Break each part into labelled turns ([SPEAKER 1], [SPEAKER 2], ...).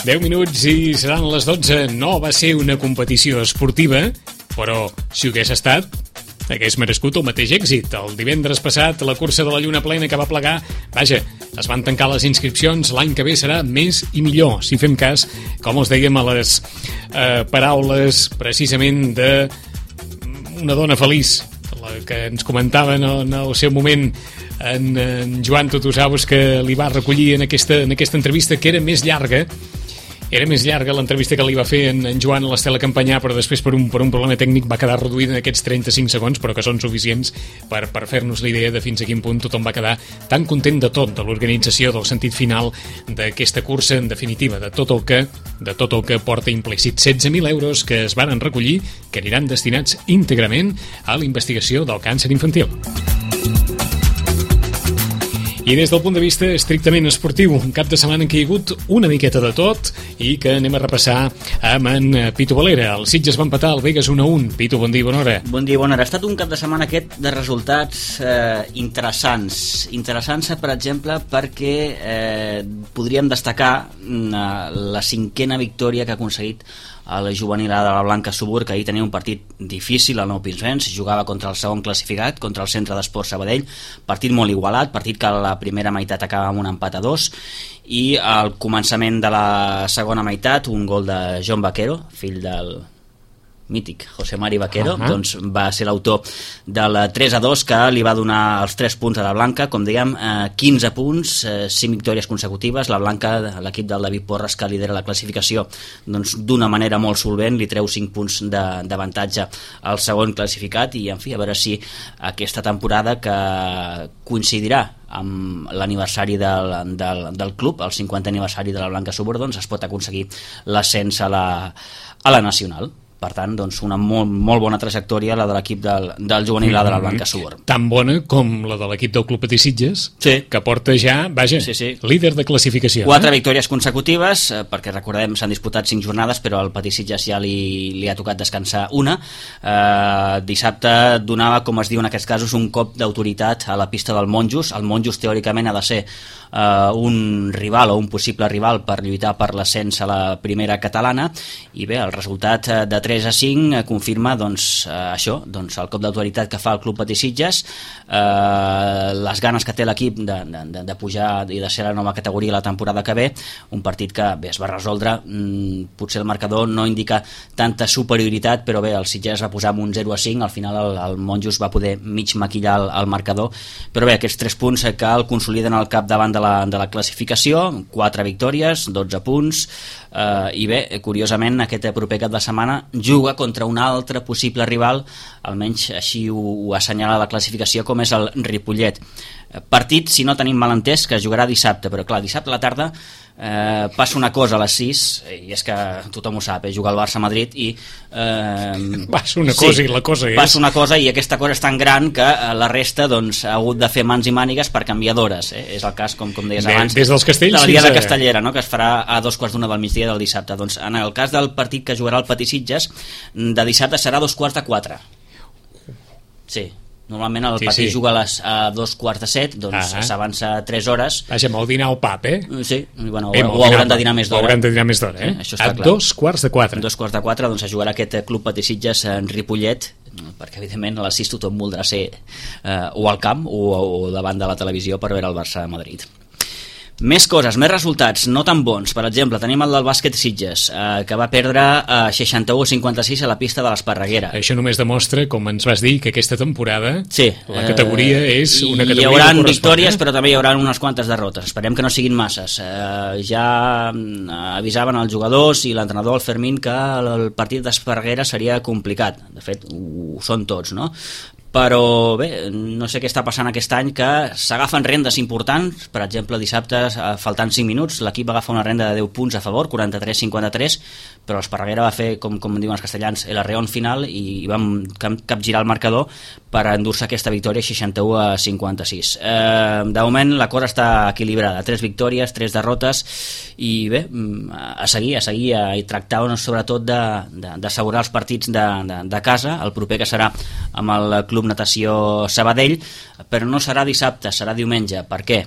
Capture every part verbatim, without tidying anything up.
[SPEAKER 1] deu minuts i seran les dotze. No va ser una competició esportiva, però si ho hagués estat, hagués merescut el mateix èxit. El divendres passat, la cursa de la Lluna Plena que va plegar, vaja, es van tancar les inscripcions. L'any que ve serà més i millor, si fem cas, com els dèiem, a les eh, paraules precisament de una dona feliç, la que ens comentava en el, en el seu moment en, en Joan Tutusaus, que li va recollir en aquesta, en aquesta entrevista, que era més llarga. Era més llarga l'entrevista que li va fer en, en Joan a l'Estela Campanyà, però després per un, per un problema tècnic va quedar reduïda en aquests trenta-cinc segons, però que són suficients per, per fer-nos la idea de fins a quin punt tothom va quedar tan content de tot, de l'organització, del sentit final d'aquesta cursa, en definitiva, de tot el que, de tot el que porta implícit. setze mil euros que es varen recollir, que aniran destinats íntegrament a la investigació del càncer infantil. I des del punt de vista estrictament esportiu, un cap de setmana en què hi ha hagut una miqueta de tot i que anem a repassar amb en Pitu Valera. El Sitges va empatar, el Begues un a un. Pitu, bon dia, bona hora.
[SPEAKER 2] Bon dia, bona hora. Ha estat un cap de setmana aquest de resultats eh, interessants. Interessants, per exemple, perquè eh, podríem destacar eh, la cinquena victòria que ha aconseguit el juvenil de la Blanca Subur, que ahir tenia un partit difícil al Nou Pinsbens, jugava contra el segon classificat, contra el Centre d'Esport Sabadell, partit molt igualat, partit que a la primera meitat acaba amb un empat a dos, i al començament de la segona meitat un gol de John Vaquero, fill del mític José Mari Vaquero, uh-huh. doncs va ser l'autor del tres a dos que li va donar els tres punts a la Blanca, com dèiem, eh, quinze punts, eh, cinc victòries consecutives. La Blanca, l'equip del David Porres, que lidera la classificació, doncs d'una manera molt solvent li treu cinc punts d'avantatge al segon classificat, i en fi, a veure si aquesta temporada, que coincidirà amb l'aniversari del, del, del club, el cinquantè aniversari de la Blanca Subur, doncs es pot aconseguir l'ascens a la, a la nacional. Per tant, doncs, una molt, molt bona trajectòria la de l'equip del, del juvenil de la Blanca Subur.
[SPEAKER 1] Tan bona com la de l'equip del Club Patí Sitges, sí. que porta ja, vaja, sí, sí. líder de classificació.
[SPEAKER 2] Quatre
[SPEAKER 1] eh?
[SPEAKER 2] victòries consecutives, eh, perquè recordem, s'han disputat cinc jornades, però al Patí Sitges ja li, li ha tocat descansar una. Eh, dissabte donava, com es diu en aquests casos, un cop d'autoritat a la pista del Monjos. El Monjos, teòricament, ha de ser eh, un rival o un possible rival per lluitar per l'ascens a la primera catalana, i bé, el resultat de tres a cinc confirma doncs, eh, això, doncs, el cop d'autoritat que fa el Club Patí Sitges, eh, les ganes que té l'equip de, de, de pujar i de ser la nova categoria la temporada que ve. Un partit que bé, es va resoldre, mm, potser el marcador no indica tanta superioritat, però bé, el Sitges va posar amb un zero a cinc, al final el, el Monjos va poder mig maquillar el, el marcador, però bé, aquests tres punts que el consoliden al capdavant de la, de la classificació, quatre victòries, dotze punts, eh, i bé, curiosament, aquest proper cap de setmana juga contra un altre possible rival, almenys així ho, ho assenyala la classificació, com és el Ripollet. Partit, si no tenim mal entès, que jugarà dissabte, però clar, dissabte a la tarda eh, passa una cosa a les sis, i és que tothom ho sap, eh, juga el Barça-Madrid i... Eh,
[SPEAKER 1] passa una cosa sí, i la cosa és...
[SPEAKER 2] Passa una cosa i aquesta cosa és tan gran que eh, la resta doncs, ha hagut de fer mans i mànigues per canviar d'hores. Eh? És el cas, com, com deies
[SPEAKER 1] Bé,
[SPEAKER 2] abans,
[SPEAKER 1] des dels Castells,
[SPEAKER 2] de la Diada
[SPEAKER 1] a...
[SPEAKER 2] Castellera, no? Que es farà a dos quarts d'una del migdia del dissabte. Doncs en el cas del partit que jugarà el Patí Sitges, de dissabte serà a dos quarts de quatre. Sí. Normalment el sí, Patí sí. juga a, les, a dos quarts de set, doncs ah, s'avança tres hores.
[SPEAKER 1] Vaja, molt dinar al pap, eh?
[SPEAKER 2] Sí, bueno, Bé, ho, ho hauran de dinar més d'hora.
[SPEAKER 1] Ho hauran de dinar més d'hora, eh? Sí, a clar. dos quarts de quatre.
[SPEAKER 2] A dos quarts de quatre, doncs es jugarà aquest Club Patí Sitges en Ripollet, perquè evidentment a les sis tothom voldrà ser eh, o al camp o, o davant de la televisió per veure el Barça a Madrid. Més coses, més resultats, no tan bons. Per exemple, tenim el del bàsquet Sitges, eh, que va perdre eh, seixanta-u a cinquanta-sis a la pista de l'Esparreguera.
[SPEAKER 1] Això només demostra, com ens vas dir, que aquesta temporada
[SPEAKER 2] sí,
[SPEAKER 1] la categoria eh, és una categoria
[SPEAKER 2] hi haurà victòries, però també hi haurà unes quantes derrotes. Esperem que no siguin masses. Eh, ja avisaven els jugadors i l'entrenador, el Fermín, que el partit d'Esparreguera seria complicat. De fet, ho són tots, no? Però bé, no sé què està passant aquest any, que s'agafen rendes importants. Per exemple, dissabte, faltant cinc minuts, l'equip va agafar una renda de deu punts a favor, quaranta-tres a cinquanta-tres, però l'Esparreguera va fer, com, com diuen els castellans, el arreón final, i vam capgirar el marcador per endur-se aquesta victòria seixanta-u a cinquanta-sis. Eh, de moment la cosa està equilibrada, tres victòries, tres derrotes, i bé, a seguir, a seguir, i tractar sobretot d'assegurar els partits de, de, de casa, el proper que serà amb el Club Natació Sabadell, però no serà dissabte, serà diumenge. Per què?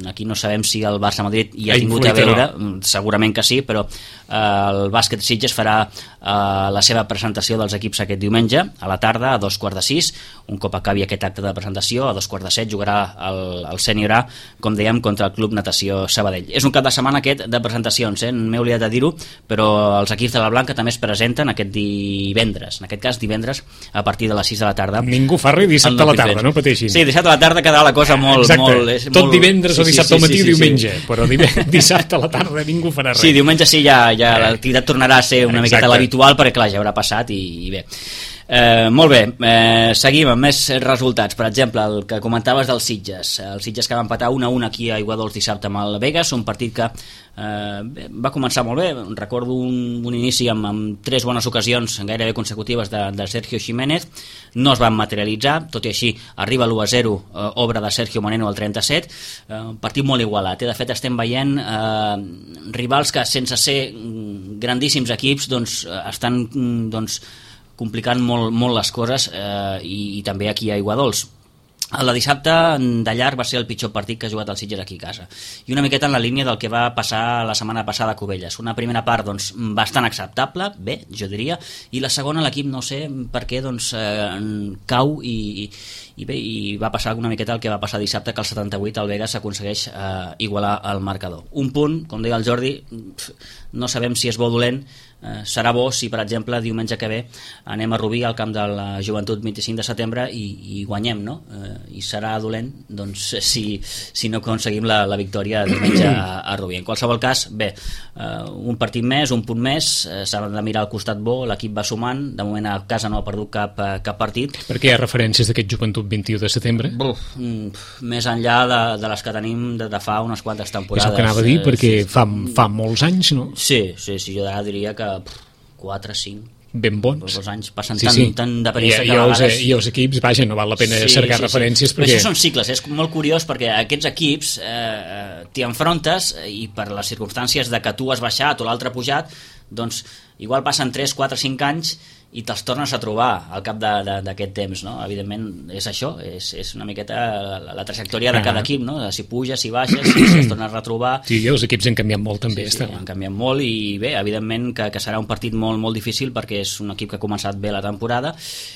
[SPEAKER 2] aquí no sabem si el Barça-Madrid hi ha tingut a veure, segurament que sí, però el Bàsquet Sitges farà la seva presentació dels equips aquest diumenge a la tarda, a dos quarts de sis. Un cop acabi aquest acte de presentació, a dos quarts de set jugarà el, el Sènior A, com dèiem, contra el Club Natació Sabadell. És un cap de setmana aquest de presentacions, eh? M'he oblidat de dir-ho, però els equips de la Blanca també es presenten aquest divendres, en aquest cas divendres a partir de les sis de la tarda.
[SPEAKER 1] Ningú fa res dissabte a la tarda, no pateixin.
[SPEAKER 2] Sí, dissabte a la tarda quedarà la cosa molt...
[SPEAKER 1] Exacte,
[SPEAKER 2] molt, és
[SPEAKER 1] tot
[SPEAKER 2] molt...
[SPEAKER 1] divendres
[SPEAKER 2] sí,
[SPEAKER 1] o dissabte
[SPEAKER 2] sí,
[SPEAKER 1] al matí
[SPEAKER 2] sí,
[SPEAKER 1] i
[SPEAKER 2] sí,
[SPEAKER 1] diumenge,
[SPEAKER 2] sí.
[SPEAKER 1] però dissabte a la tarda ningú farà res.
[SPEAKER 2] Sí, diumenge sí, ja, ja l'activitat tornarà a ser una
[SPEAKER 1] Exacte.
[SPEAKER 2] miqueta l'habitual, perquè clar, ja haurà passat i, i bé. Eh, molt bé, eh, seguim amb més resultats. Per exemple, el que comentaves dels Sitges, el Sitges que va empatar un a un aquí a Aiguadols dissabte amb el Vegas, un partit que eh, va començar molt bé. Recordo un, un inici amb, amb tres bones ocasions gairebé consecutives de, de Sergio Jiménez, no es van materialitzar, tot i així arriba l'u a zero, eh, obra de Sergio Moreno al trenta-set, eh, un partit molt igualat, eh? De fet estem veient eh, rivals que sense ser grandíssims equips doncs, estan doncs, complicant molt, molt les coses eh, i, i també aquí a Aiguadols. El de dissabte de llarg va ser el pitjor partit que ha jugat el Sitges aquí a casa, i una miqueta en la línia del que va passar la setmana passada a Cubelles. Una primera part doncs, bastant acceptable, bé, jo diria, i la segona l'equip no sé per què doncs, eh, cau i, i bé, i va passar una miqueta el que va passar dissabte, que al setanta-vuit el Vegas s'aconsegueix eh, igualar el marcador. Un punt, com deia el Jordi, no sabem si és bo o dolent. Eh, serà bo si per exemple diumenge que ve anem a Rubí al camp de la Joventut vint-i-cinc de setembre i, i guanyem, no? Eh, i serà dolent doncs, si, si no aconseguim la, la victòria diumenge a, a Rubí. En qualsevol cas, bé, eh, un partit més, un punt més, eh, s'ha de mirar al costat bo, l'equip va sumant, de moment a casa no ha perdut cap, cap partit.
[SPEAKER 1] Per què hi ha referències d'aquest Joventut vint-i-u de setembre?
[SPEAKER 2] Buf, mm, més enllà de, de les que tenim de, de fa unes quantes temporades.
[SPEAKER 1] És el que anava a dir, perquè
[SPEAKER 2] eh, sí,
[SPEAKER 1] fa, fa molts anys, no?
[SPEAKER 2] Sí, sí, sí, jo d'ara diria que quatre, cinc,
[SPEAKER 1] ben bons.
[SPEAKER 2] els anys passen
[SPEAKER 1] sí,
[SPEAKER 2] tan,
[SPEAKER 1] sí.
[SPEAKER 2] tan de pressa
[SPEAKER 1] I,
[SPEAKER 2] que
[SPEAKER 1] i,
[SPEAKER 2] a
[SPEAKER 1] els,
[SPEAKER 2] vegades...
[SPEAKER 1] I els equips, vaja, no val la pena
[SPEAKER 2] sí,
[SPEAKER 1] cercar
[SPEAKER 2] sí,
[SPEAKER 1] referències
[SPEAKER 2] sí.
[SPEAKER 1] perquè...
[SPEAKER 2] Però això són cicles, és molt curiós perquè aquests equips eh, t'hi enfrontes i per les circumstàncies de que tu has baixat o l'altre ha pujat, doncs igual passen tres, quatre, cinc anys i te'ls tornes a trobar al cap d'aquest temps, no? Evidentment és això, és, és una miqueta la, la trajectòria de cada equip, no? De si puges, si baixes, si, si es torna a retrobar.
[SPEAKER 1] Sí, els equips han canviat molt també.
[SPEAKER 2] Sí, sí, han canviat molt i bé, evidentment que, que serà un partit molt, molt difícil perquè és un equip que ha començat bé la temporada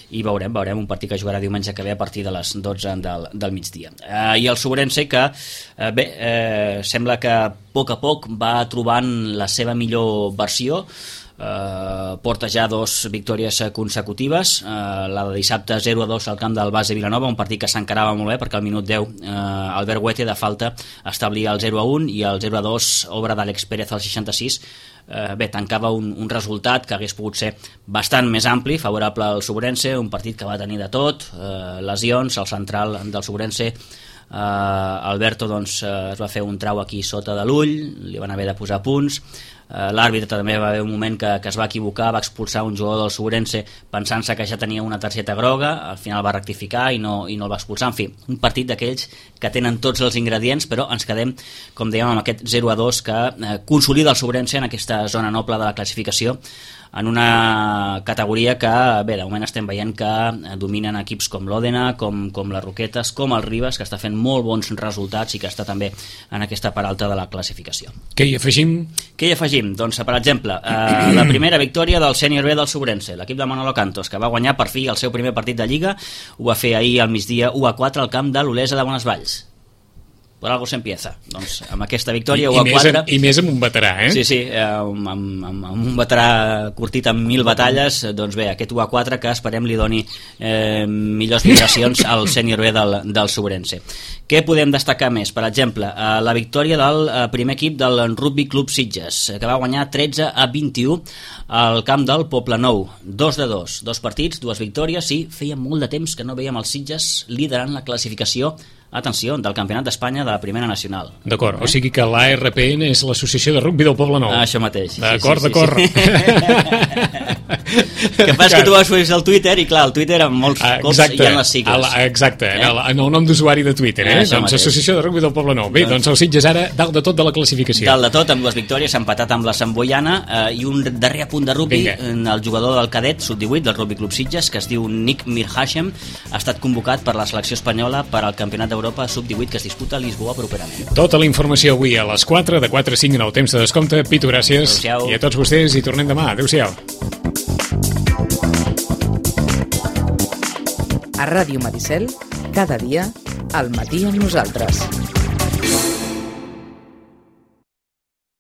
[SPEAKER 2] i veurem, veurem un partit que jugarà diumenge que ve a partir de les dotze del, del migdia. Eh, I el Sobrense que, eh, bé, eh, sembla que a poc a poc va trobant la seva millor versió. Uh, porta ja dos victòries consecutives, uh, la de dissabte zero a dos al camp del Base Vilanova, un partit que s'encarava molt bé perquè al minut deu uh, Albert Huete de falta establia el zero a un i el zero a dos obra d'Àlex Pérez al seixanta-sis. Uh, bé, tancava un, un resultat que hagués pogut ser bastant més ampli, favorable al Sobrense, un partit que va tenir de tot, uh, lesions, el central del Sobrense Uh, Alberto doncs, uh, es va fer un trau aquí sota de l'ull, li van haver de posar punts. Uh, l'àrbitre també va haver un moment que, que es va equivocar, va expulsar un jugador del Sobrense pensant-se que ja tenia una targeta groga, al final va rectificar i no, i no el va expulsar. En fi, un partit d'aquells que tenen tots els ingredients, però ens quedem, com dèiem, amb aquest zero a dos que uh, consolida el Sobrense en aquesta zona noble de la classificació, en una categoria que, bé, de moment estem veient que dominen equips com l'Òdena, com, com les Roquetes, com el Ribes, que està fent molt bons resultats i que està també en aquesta part alta de la classificació.
[SPEAKER 1] Què hi afegim?
[SPEAKER 2] Què hi afegim? Doncs, per exemple, eh, la primera victòria del Sènior B del Sobrense, l'equip de Manolo Cantos, que va guanyar per fi el seu primer partit de Lliga, ho va fer ahir al migdia u a quatre al camp de l'Olesa de Bonesvalls. Per algo s'empieza. Doncs amb aquesta victòria u a quatre...
[SPEAKER 1] I més amb un veterà, eh?
[SPEAKER 2] Sí, sí, amb, amb, amb, amb un veterà curtit amb mil batalles, doncs bé, aquest u a quatre que esperem li doni eh, millors vibracions al Sènior B del, del Sobrense. Què podem destacar més? Per exemple, eh, la victòria del eh, primer equip del Rugby Club Sitges, que va guanyar tretze a vint-i-u al camp del Poblenou. Dos de dos, dos partits, dues victòries, i feia molt de temps que no veiem els Sitges liderant la classificació, atenció, del Campionat d'Espanya de la Primera Nacional.
[SPEAKER 1] D'acord,
[SPEAKER 2] eh?
[SPEAKER 1] O sigui que l'A R P N és l'Associació de Rugby del Poblenou.
[SPEAKER 2] Ah, això mateix.
[SPEAKER 1] D'acord,
[SPEAKER 2] sí, sí,
[SPEAKER 1] d'acord.
[SPEAKER 2] Sí, sí. que passa que tu vas fer el Twitter i clar, el Twitter amb molts ah, cops hi ha les sigles.
[SPEAKER 1] El, exacte, eh? en, el, en el nom d'usuari de Twitter, eh? eh doncs mateix. Associació de Rugbi del Poble Nou. Bé, doncs, doncs el Sitges ara dalt de tot de la classificació.
[SPEAKER 2] Dalt de tot, amb dues victòries, s'ha empatat amb la Samboiana eh, i un darrer apunt de rugbi, el jugador del cadet, sub divuit, del Rugby Club Sitges, que es diu Nick Mirhashem, ha estat convocat per la selecció espanyola per al Campionat d'Europa sub divuit que es disputa a Lisboa properament.
[SPEAKER 1] Tota la informació avui a les quatre, de quatre a cinc en el temps de descompte. Pitu, gràcies.
[SPEAKER 2] Adéu-siau.
[SPEAKER 1] I a tots vostès, i tornem demà. Adéu-siau.
[SPEAKER 3] A Ràdio Maricel, cada dia, al matí amb nosaltres.